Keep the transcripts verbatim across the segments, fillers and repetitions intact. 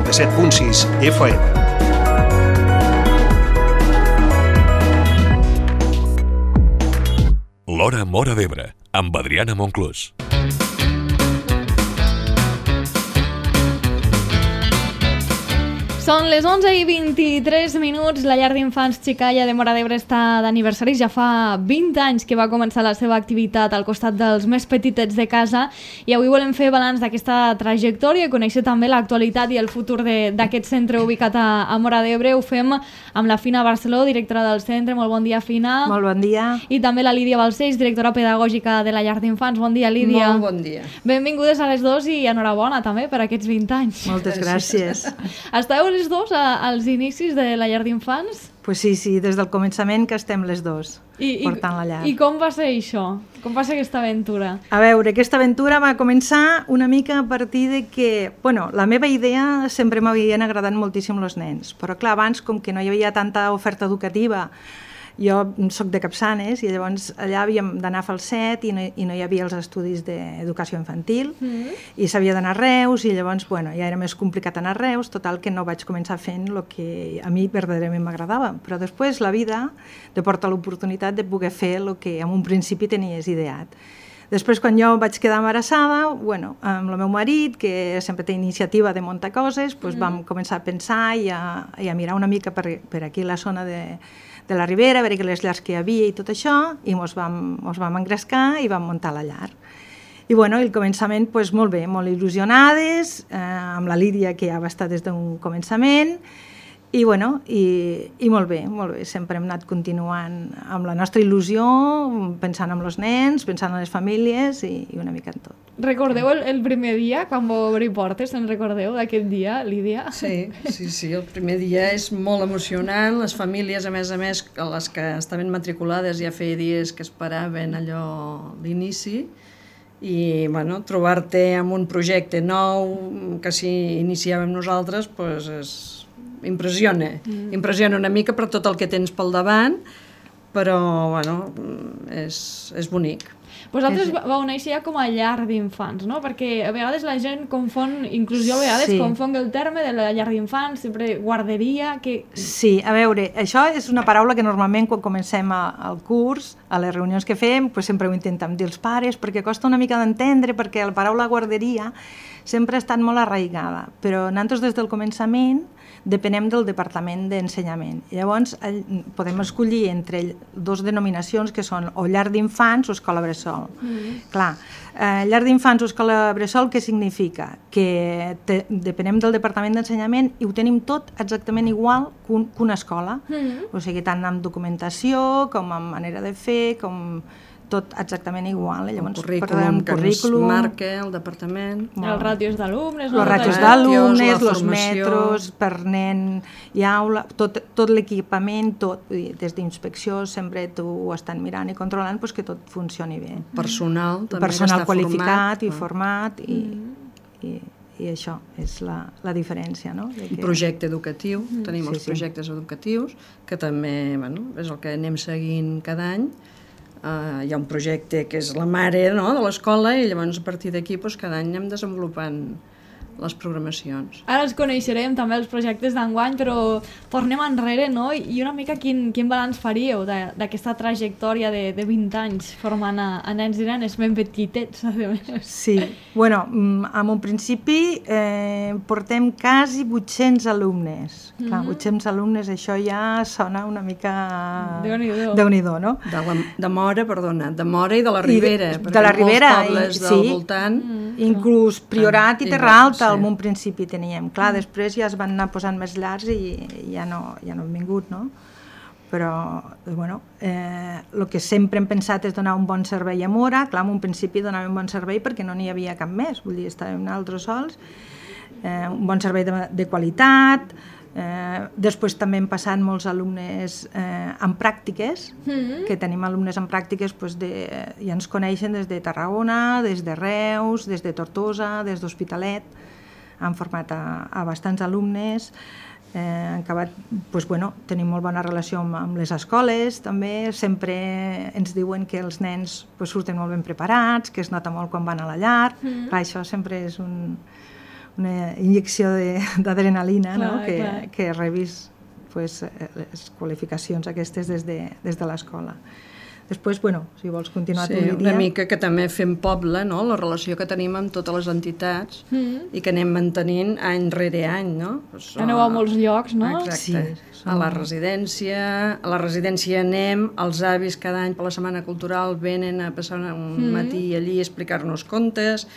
noranta-set punt sis F M. L'Hora Móra d'Ebre, amb Adriana Monclús. Són les onze i vint-i-tres minuts. La llar d'infants Xicalla de Móra d'Ebre està d'aniversari. Ja fa vint anys que va començar la seva activitat al costat dels més petitets de casa i avui volem fer balanç d'aquesta trajectòria i conèixer també l'actualitat i el futur d'aquest centre ubicat a, a Móra d'Ebre. Ho fem amb la Fina Barceló, directora del centre. Molt bon dia, Fina. Molt bon dia. I també la Lídia Balcells, directora pedagògica de la llar d'infants. Bon dia, Lídia. Molt bon dia. Benvingudes a les dos i enhorabona també per aquests vint anys. Moltes gràcies. Esteu les dos a, als inicis de la llar d'infants? Pues sí, sí, des del començament que estem les dos I, portant la llar. I com va ser això? Com va ser aquesta aventura? A veure, aquesta aventura va començar una mica a partir de que, bueno, la meva idea sempre m'havien agradat moltíssim els nens, però clar, abans com que no hi havia tanta oferta educativa, jo soc de Capçanes i llavors allà havíem d'anar a Falset i no, i no hi havia els estudis d'educació infantil mm. i s'havia d'anar a Reus i llavors bueno, ja era més complicat anar a Reus, total que no vaig començar fent el que a mi verdaderament m'agradava, però després la vida te porta l'oportunitat de poder fer el que en un principi tenies ideat. Després, quan jo vaig quedar embarassada, bueno, amb el meu marit, que sempre té iniciativa de muntar coses, doncs mm. vam començar a pensar i a, i a mirar una mica per, per aquí la zona de de la Ribera, a veure les llars que hi havia i tot això, i ens vam, mos vam engrescar i vam muntar la llar. I bueno, el començament, doncs, molt bé, molt il·lusionades, eh, amb la Lídia, que ja va estar des d'un començament, i bueno, i, i molt bé, molt bé, sempre hem anat continuant amb la nostra il·lusió, pensant en els nens, pensant en les famílies i, i una mica en tot. Recordeu el, el primer dia, quan vau obrir portes, en recordeu d'aquest dia, Lídia? Sí, sí, sí, el primer dia és molt emocionant, les famílies, a més a més, les que estaven matriculades ja feia dies que esperaven allò l'inici, i bueno, trobar-te amb un projecte nou que si iniciàvem nosaltres, doncs és impressiona, mm. impressiona una mica per tot el que tens pel davant, però bueno, és, és bonic. Vosaltres vau néixer ja com a llar d'infants, no? Perquè a vegades la gent confon, inclusió a vegades, sí. confon el terme de la llar d'infants, sempre guarderia... Que... Sí, a veure, això és una paraula que normalment quan comencem a, al curs, a les reunions que fem, pues sempre ho intentem dir als pares, perquè costa una mica d'entendre, perquè la paraula guarderia sempre ha estat molt arraigada, però nosaltres des del començament depenem del Departament d'Ensenyament. Llavors, podem escollir entre dues denominacions que són o llar d'infants o escola bressol. Mm. Clar, eh, llar d'infants o escola bressol què significa? Que te, depenem del Departament d'Ensenyament i ho tenim tot exactament igual que, un, que una escola. Mm. O sigui, tant amb documentació com amb manera de fer, com... tot exactament igual. Llavors, el currículum que currículum, ens marca el departament. Els ràtios d'alumnes. Els ràtios d'alumnes, els metros per nen i aula, tot, tot l'equipament, tot, des d'inspecció sempre t'ho estan mirant i controlant pues, que tot funcioni bé. Personal també Personal està qualificat format. i format i, mm. i, i això és la, la diferència. No? De que... Un projecte educatiu, mm. tenim sí, els projectes sí. educatius que també bueno, és el que anem seguint cada any. Uh, hi ha un projecte que és la mare no, de l'escola i llavors a partir d'aquí doncs, cada any anem desenvolupant les programacions. Ara els coneixerem també els projectes d'enguany, però tornem enrere, no? I una mica quin, quin balanç faríeu d'aquesta trajectòria de, de vint anys formant a, a nens i nenes ben petitets, a més. Sí, bueno, en un principi eh, portem quasi vuit-cents alumnes. Mm-hmm. Clar, vuit-cents alumnes, això ja sona una mica... Déu-n'hi-do. Déu-n'hi-do, no? De, la, de Móra, perdona, de Móra i de la Ribera. I de, de la Ribera, molts pobles i, del sí, voltant... Mm. Inclús Priorat i Terra Alta, sí. en un principi teníem. Clar, després ja es van anar posant més llars i ja no, ja no han vingut, no? Però, bueno, eh, el que sempre hem pensat és donar un bon servei a Móra. Clar, en un principi donàvem un bon servei perquè no n'hi havia cap més, vull dir, estàvem nosaltres sols. Eh, un bon servei de, de qualitat. Eh, després també hem passat molts alumnes eh, en pràctiques, mm-hmm. que tenim alumnes en pràctiques, doncs de, ja ens coneixen des de Tarragona, des de Reus, des de Tortosa, des d'Hospitalet, han format a, a bastants alumnes, eh, han acabat, doncs, bueno, tenim molt bona relació amb, amb les escoles, també, sempre ens diuen que els nens doncs, surten molt ben preparats, que es nota molt quan van a la llar, mm-hmm. clar, això sempre és un... una injecció de- d'adrenalina, no? Clar, que, clar. que rebis pues, eh, les qualificacions aquestes des de, des de l'escola. Després, bueno, si vols continuar Sí, tu, Lídia. una mica que també fem poble, no? La relació que tenim amb totes les entitats Mm. i que anem mantenint any rere any, no? Pues, Aneu a molts llocs, no? Exacte. Sí, A la residència, a la residència anem, els avis cada any per la Setmana Cultural venen a passar un Mm. matí allí a explicar-nos contes,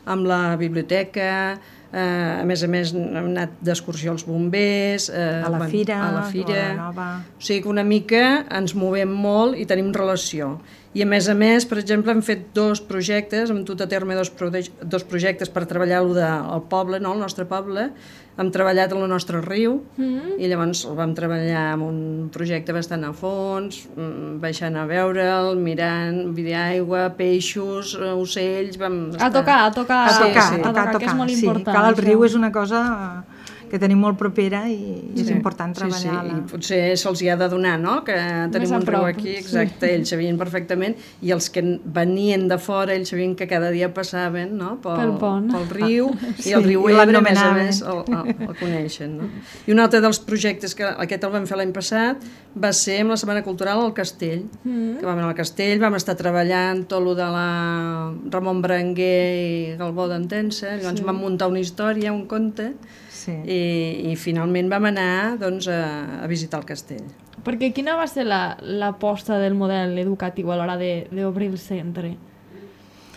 amb la biblioteca, eh, a més a més hem anat d'excursió als bombers, eh, A la bueno, fira, a la fira. a la nova. O sigui que una mica ens movem molt i tenim relació. I a més a més, per exemple, hem fet dos projectes, hem dut a terme dos, proje dos projectes per treballar el del poble, no? El nostre poble. Hem treballat en el nostre riu Mm. i llavors el vam treballar amb un projecte bastant a fons, mm, baixant a veure'l, mirant vida d'aigua, peixos, eh, ocells... Vam A tocar, a tocar, A Sí, tocar, sí. a tocar, a tocar. que és molt sí, important. clar, el això. riu és una cosa que tenim molt propera i, i és Sí, important sí, sí, treballar-la. i potser se'ls hi ha de donar, no?, que tenim a un riu prop, aquí, sí. exacte, ells sabien perfectament, i els que venien de fora, ells sabien que cada dia passaven, no?, pel, Pel pont. pel riu, Sí, i el riu i Ebre, a més a l'anomenaven. més, el, el, el coneixen, no? I un altre dels projectes, que aquest el vam fer l'any passat, va ser amb la Setmana Cultural al Castell, Mm. que vam anar al Castell, vam estar treballant tot el de la Ramon Berenguer i Galbó d'Entença, llavors Sí. vam muntar una història, un conte, Sí. i, i finalment vam anar doncs, a, a visitar el castell. Perquè quina va ser la- l'aposta del model educatiu a l'hora de- d'obrir el centre?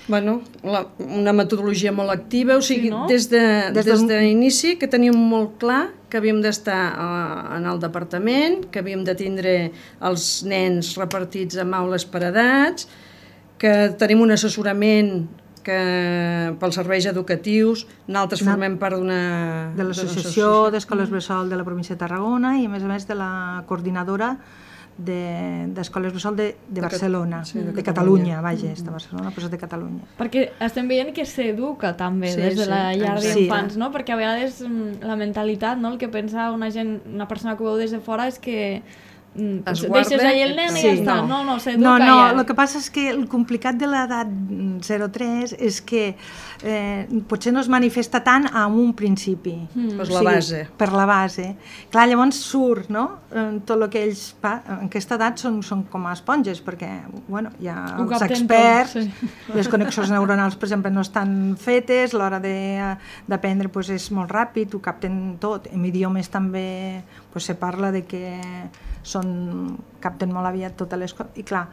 Bueno, la, una metodologia molt activa, o sigui, Sí, no? des de Des des del- d'inici que teníem molt clar que havíem d'estar uh, en el departament, que havíem de tindre els nens repartits en aules per edats, que tenim un assessorament que pels serveis educatius, nosaltres Na- formem part d'una... De l'Associació d'Escoles Bressol de la província de Tarragona i, a més a més, de la coordinadora de- d'Escoles Bressol de, de De Cat- Barcelona, sí, de de Catalunya. Catalunya, vaja, és de Barcelona, però és de Catalunya. Perquè estem veient que s'educa també Sí, des de sí, la llar exacte. d'infants, no? Perquè a vegades mm, la mentalitat, no? El que pensa una gent, una persona que ho veu des de fora és que mm, Es deixes guarda, allà el nen i sí, ja està. no. No, no, s'educa No, no, ja. el que passa és que el complicat de l'edat zero tres és que eh, potser no es manifesta tant a un principi. Mm. Pues la base. Per la base. Clar, llavors surt, no?, Eh, tot el que ells... Pa, en aquesta edat són, són com a esponges, perquè, bueno, hi ha Ho els capten experts, tot, sí. les connexions neuronals, per exemple, no estan fetes, l'hora de- d'aprendre pues, és molt ràpid, ho capten tot. En idiomes també pues, se parla de que són, capten molt aviat totes les coses. I clar,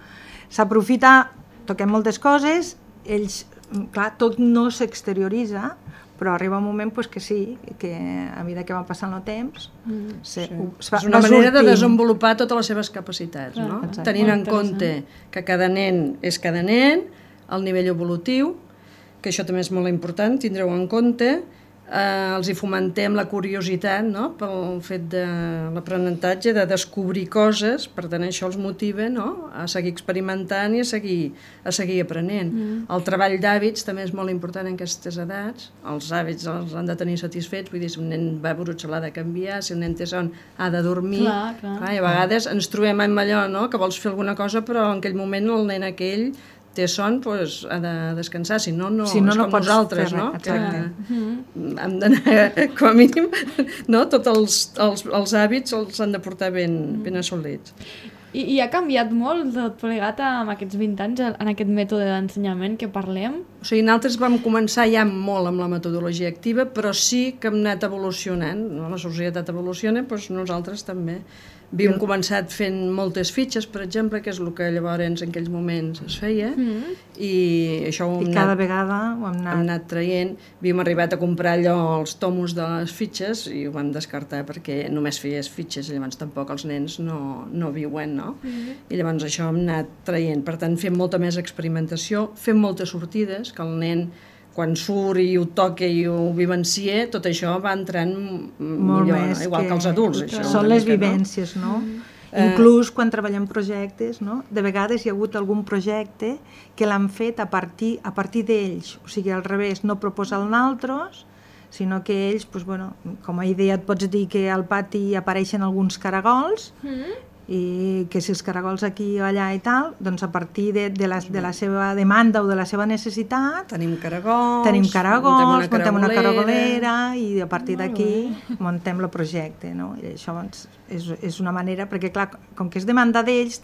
s'aprofita, toquem moltes coses, ells, clar, tot no s'exterioritza, però arriba un moment pues, que sí, que a mesura que va passant el temps, Mm. se, Sí. ho, es va, És una va manera de sortint. desenvolupar totes les seves capacitats, Clar, no? exacte. Tenint en Molt compte que cada nen és cada nen, el nivell evolutiu, que això també és molt important, tindreu en compte, eh, els hi fomentem la curiositat, no?, pel fet de l'aprenentatge, de descobrir coses, per tant això els motiva, no?, a seguir experimentant i a seguir, a seguir aprenent. Mm. El treball d'hàbits també és molt important en aquestes edats, els hàbits els han de tenir satisfets, vull dir, si un nen va brut l'ha de canviar, si un nen té son ha de dormir, Clar, clar. Clar, i a vegades ens trobem amb allò, no?, que vols fer alguna cosa però en aquell moment el nen aquell té son, doncs ha de descansar, si no, no, Si no, és no com pots nosaltres, fer no? res, Que exacte. Mm. hem d'anar, com a mínim, no? Tots els, els, els hàbits els han de portar ben, ben assolits. I, I ha canviat molt tot plegat amb aquests vint anys en aquest mètode d'ensenyament que parlem? O sigui, nosaltres vam començar ja molt amb la metodologia activa, però sí que hem anat evolucionant, no? La societat evoluciona, doncs nosaltres també. Havíem començat fent moltes fitxes, per exemple, que és el que llavors en aquells moments es feia, Mm. i això ho hem I cada anat, vegada ho hem hem anat... anat traient. Havíem arribat a comprar allò, els tomos de les fitxes, i ho vam descartar perquè només feies fitxes, i llavors tampoc els nens no, no viuen, no? Mm. I llavors això hem anat traient. Per tant, fem molta més experimentació, fem moltes sortides, que el nen quan surt i ho toca i ho vivencia, tot això va entrant m- molt millor, més no? Igual que, els adults. Això, són una les mica, no? vivències, no? Eh. Inclús quan treballem projectes, no? De vegades hi ha hagut algun projecte que l'han fet a partir, a partir d'ells, o sigui, al revés, no proposar-ne altres, sinó que ells, doncs, bueno, com a idea et pots dir que al pati apareixen alguns caragols Mm. i que si els caragols aquí o allà i tal, doncs a partir de, de, la, de la seva demanda o de la seva necessitat tenim caragols, tenim caragols, muntem una muntem una caragolera, caragolera i a partir d'aquí muntem el projecte, no? I això doncs, és, és una manera, perquè clar, com que és demanda d'ells,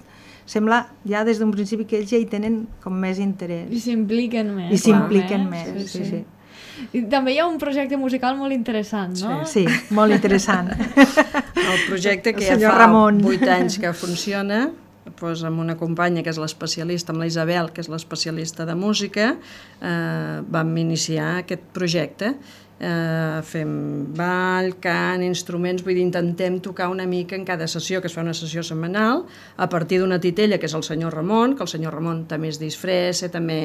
sembla ja des d'un principi que ells ja hi tenen com més interès. I s'impliquen més. I s'impliquen eh? més, sí, sí. sí. I també hi ha un projecte musical molt interessant, no? Sí, sí, molt interessant. El projecte que El ja senyor fa Ramon. vuit anys que funciona, doncs amb una companya que és l'especialista, amb la Isabel, que és l'especialista de música, eh, vam iniciar aquest projecte. Eh, fem ball, cant, instruments, vull dir, intentem tocar una mica en cada sessió, que es fa una sessió setmanal, a partir d'una titella, que és el senyor Ramon, que el senyor Ramon també es disfressa, també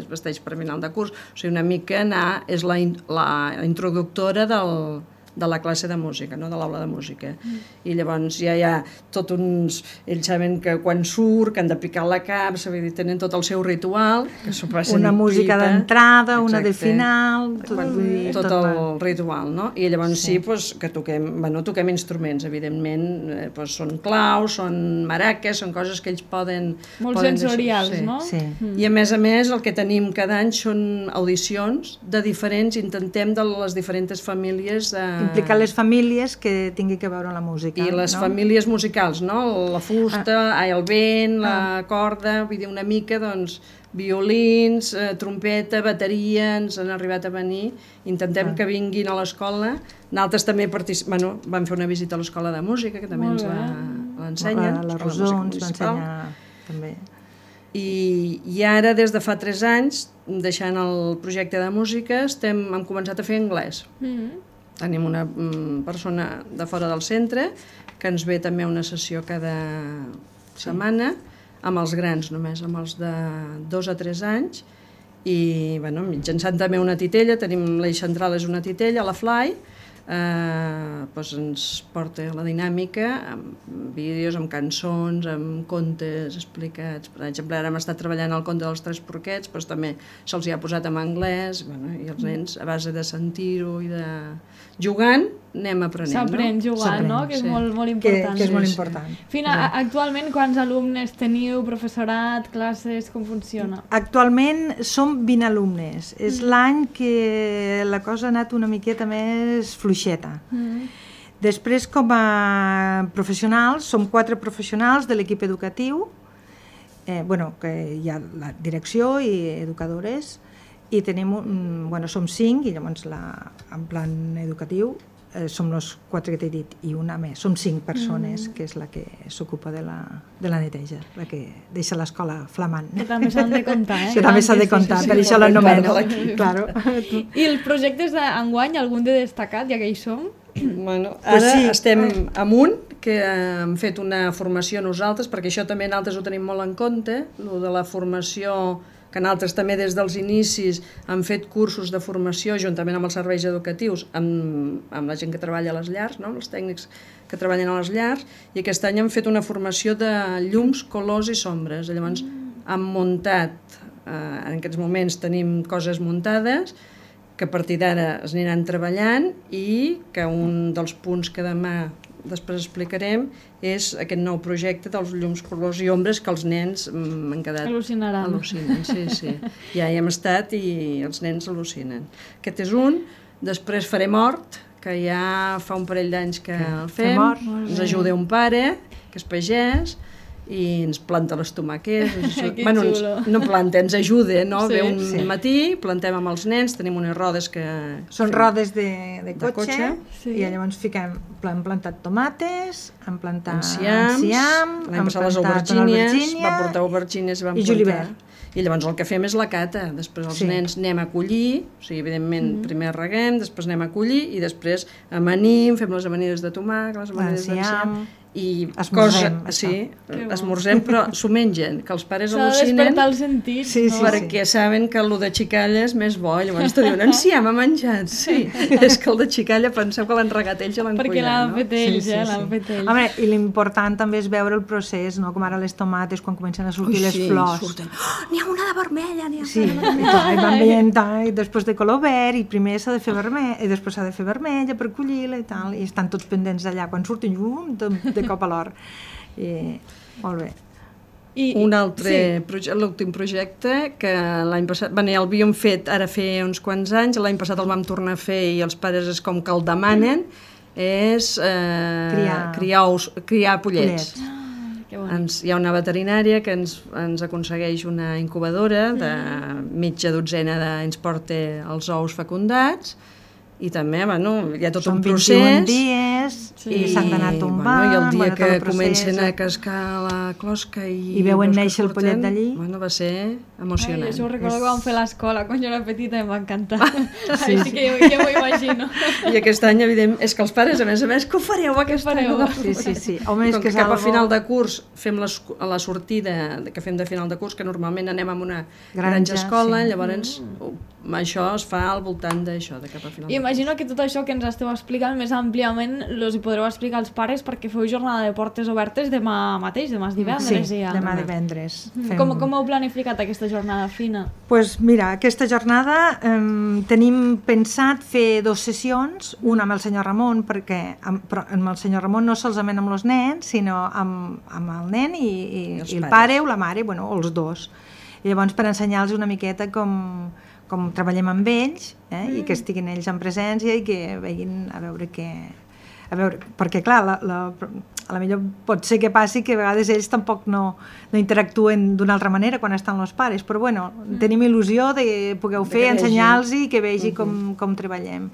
es vesteix per final de curs, o sigui, una mica anar, és la, la introductora del, de la classe de música, no? De l'aula de música. Mm. I llavors ja hi ha tot uns... Ells saben que quan surt, que han de picar la capsa, vull dir, tenen tot el seu ritual, que s'ho passen una música pipa, d'entrada, una de exacte. final, tot, Quan, vull dir, tot, tot el va. ritual, no? I llavors sí, sí pues, que toquem, bueno, toquem instruments, evidentment, eh, pues, són claus, són maraques, són coses que ells poden... Molt poden sensorials, deixar, sí. no? Sí. Mm. I a més a més el que tenim cada any són audicions de diferents, intentem de les diferents famílies... Eh, Implicar les famílies que tinguin que veure la música. I les no? famílies musicals, no? La fusta, ah. ai, el vent, la Ah. corda, vull dir, una mica, doncs, violins, eh, trompeta, bateria, ens han arribat a venir. Intentem ah. que vinguin a l'escola. Nosaltres també particip... bueno, vam fer una visita a l'escola de música, que també Molt ens bé. l'ensenyen. La, la Rosó ens va ensenyar també. I, I ara, des de fa tres anys, deixant el projecte de música, estem, hem començat a fer anglès. Mm. Tenim una mm, persona de fora del centre que ens ve també a una sessió cada setmana, amb els grans només, amb els de dos a tres anys, i bueno, mitjançant també una titella, tenim l'eix central és una titella, la Fly, eh, doncs ens porta la dinàmica amb vídeos, amb cançons, amb contes explicats. Per exemple, ara hem estat treballant el conte dels tres porquets, doncs també se'ls hi ha posat en anglès, bueno, i els nens, a base de sentir-ho i de... jugant, anem aprenent. S'aprèn no? jugant, no? Que és sí. molt, molt Que, important. que és molt Sí, sí. important. Fina, a- actualment quants alumnes teniu, professorat, classes, com funciona? Actualment som vint alumnes. És l'any que la cosa ha anat una miqueta més fluixeta. Mm. Després, com a professionals, som quatre professionals de l'equip educatiu, eh, bueno, que hi ha la direcció i educadores, i tenim un, bueno, som cinc, i llavors la, en plan educatiu eh, som els quatre que t'he dit, i una més. Som cinc persones, mm. que és la que s'ocupa de, la, de la neteja, la que deixa l'escola flamant. Que també s'han de comptar, eh? Que també s'ha de comptar, per això l'anomeno. Claro. I els projectes d'enguany, algun de destacat, ja que hi som? Bueno, Pues ara sí. estem amunt, que hem fet una formació nosaltres, perquè això també nosaltres ho tenim molt en compte, lo de la formació, que nosaltres també des dels inicis hem fet cursos de formació juntament amb els serveis educatius, amb, amb la gent que treballa a les llars, no? Els tècnics que treballen a les llars, i aquest any hem fet una formació de llums, colors i sombres. Llavors hem muntat, eh, en aquests moments tenim coses muntades, que a partir d'ara es aniran treballant, i que un dels punts que demà després explicarem és aquest nou projecte dels llums, colors i ombres que els nens m'han quedat... Al·lucinaran. Al·lucinen, sí, sí. Ja hi hem estat i els nens al·lucinen. Aquest és un. Després farem hort, que ja fa un parell d'anys que el fem. Fem hort. Ens ajuda un pare, que és pagès, i ens planta les tomàquets. Ens... Que bueno, ens, xulo. no planta, ens ajuda, no? Sí, Ve un sí. matí, plantem amb els nens, tenim unes rodes que... Són fem- rodes de, de De cotxe, cotxe. Sí. i llavors fiquem, hem plantat tomates, hem plantat enciams, enciam, l'any hem passat les plantat una aubergínies, albergínia, va portar aubergínies i vam i plantar. julivert. I llavors el que fem és la cata, després els Sí. nens anem a collir, o sigui, evidentment mm -hmm. primer reguem, després anem a collir i després amanim, fem les amanides de tomàquet, les amanides L'enciam. d'enciam, i Esmorzem, cosa, sí, Que bo. esmorzem, però s'ho mengen, que els pares S'ha de al·lucinen, despertar els sentits, Sí, no? sí, perquè saben que el de xicalla és més bo, llavors te diuen, enciam, ha menjat, sí, és que el de xicalla penseu que l'han regat ells i l'han Perquè collat, l'han no? fet ells, eh? L'han fet ells. Home, i l'important també és veure el procés, no? Com ara les tomates, quan comencen a sortir Ui, les sí, flors. surten. Oh, n'hi ha una de vermella, n'hi ha Sí, una de i clar, i van veient, i després de color verd, i primer s'ha de fer vermell, i després s'ha de fer vermella per collir-la i tal, i estan tots pendents d'allà. Quan surten llum, de, de cop a l'hort. I molt bé. I, un altre, sí. proje l'últim projecte, que l'any passat, bé, ja l'havíem fet ara fer uns quants anys, l'any passat el vam tornar a fer i els pares és com que el demanen, és eh, criar. Criar, ous, criar pollets. pollets. Ah, ens, hi ha una veterinària que ens, ens aconsegueix una incubadora de mitja dotzena de, ens porta els ous fecundats, i també, bueno, hi ha tot Són un procés. vint-i-un dies sí. i s'han d'anar tombant. Bueno, I el dia bueno, que comencen a cascar la closca i... I veuen néixer el pollet d'allí. Bueno, va ser emocionant. Ai, això ho recordo és... que vam fer a l'escola quan jo era petita i em va encantar. Ah, sí, sí, que jo, jo m'ho imagino. I aquest any, evident, és que els pares, a més a més, que ho fareu aquest any? Sí, sí, sí. Home, és Com que cap algo... a final de curs fem la, la sortida que fem de final de curs, que normalment anem a una granja, granja escola, sí. Llavors mm. això es fa al voltant d'això, de cap a final de curs. Imagino que tot això que ens esteu explicant més àmpliament els hi podreu explicar als pares perquè feu jornada de portes obertes demà mateix, demà és divendres. Sí, ja. demà divendres. Mm. Fem... Com, com heu planificat aquesta jornada fina? Doncs pues mira, aquesta jornada eh, tenim pensat fer dues sessions, una amb el senyor Ramon, perquè amb, però amb el senyor Ramon no solament amb els nens, sinó amb, amb el nen i, i, I, i el pare o la mare, bueno, o els dos. I llavors per ensenyar-los una miqueta com... com treballem amb ells, eh, mm. i que estiguin ells en presència i que vegin a veure què... A veure, perquè clar, la, la, a la millor pot ser que passi que a vegades ells tampoc no, no interactuen d'una altra manera quan estan els pares, però bueno, mm. tenim il·lusió de poder fer, ensenyar-los i que vegi mm-hmm. com, com treballem.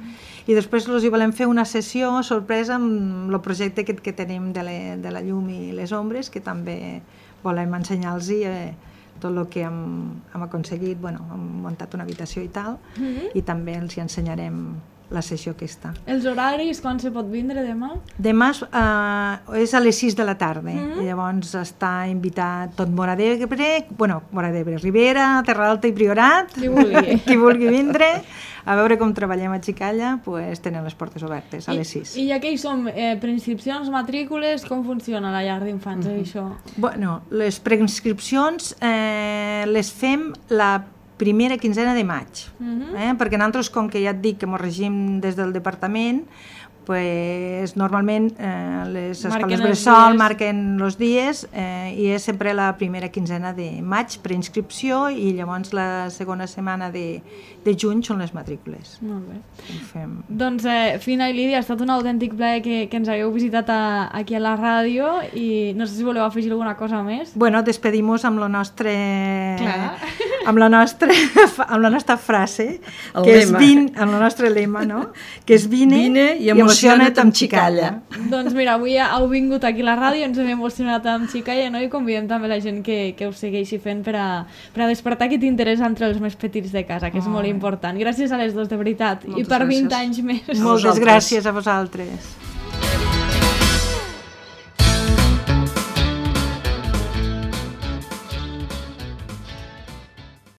I després els hi volem fer una sessió sorpresa amb el projecte aquest que tenim de, le, de la llum i les ombres, que també volem ensenyar-los eh, tot el que hem, hem aconseguit, bueno, hem muntat una habitació i tal, mm-hmm. i també els hi ensenyarem la sessió aquesta. Els horaris, quan se pot vindre demà? Demà eh, és a les sis de la tarda, mm-hmm. i llavors està invitat tot Móra d'Ebre, bueno, Móra d'Ebre, Ribera, Terra Alta i Priorat, qui vulgui, qui vulgui vindre, a veure com treballem a Xicalla, pues, tenen les portes obertes a I, les sis. I ja que hi som, eh, preinscripcions, matrícules, com funciona la llar d'infants, mm-hmm. això? Bueno, les preinscripcions eh, les fem la primera quinzena de maig, uh-huh. eh? perquè nosaltres, com que ja et dic que ens regim des del departament, pues, normalment eh, les escoles bressol marquen els dies eh, i és sempre la primera quinzena de maig preinscripció i llavors la segona setmana de, de juny són les matrícules. Molt bé. Fem... Doncs eh, Fina i Lídia, ha estat un autèntic plaer que, que ens hagueu visitat a, aquí a la ràdio i no sé si voleu afegir alguna cosa més. Bueno, despedim-nos amb la nostra... Clar. amb la nostra, amb la nostra frase, el que lema. és vin, amb la nostra lema, no? Que és vine, vine i, i emociona't amb Xicalla. Doncs mira, avui heu vingut aquí a la ràdio, ens hem emocionat amb Xicalla, no? I convidem també la gent que, que us segueixi fent per a, per a despertar aquest interès entre els més petits de casa, que és oh. molt important. Gràcies a les dos, de veritat. Moltes I per vint gràcies. anys més. Moltes gràcies a vosaltres.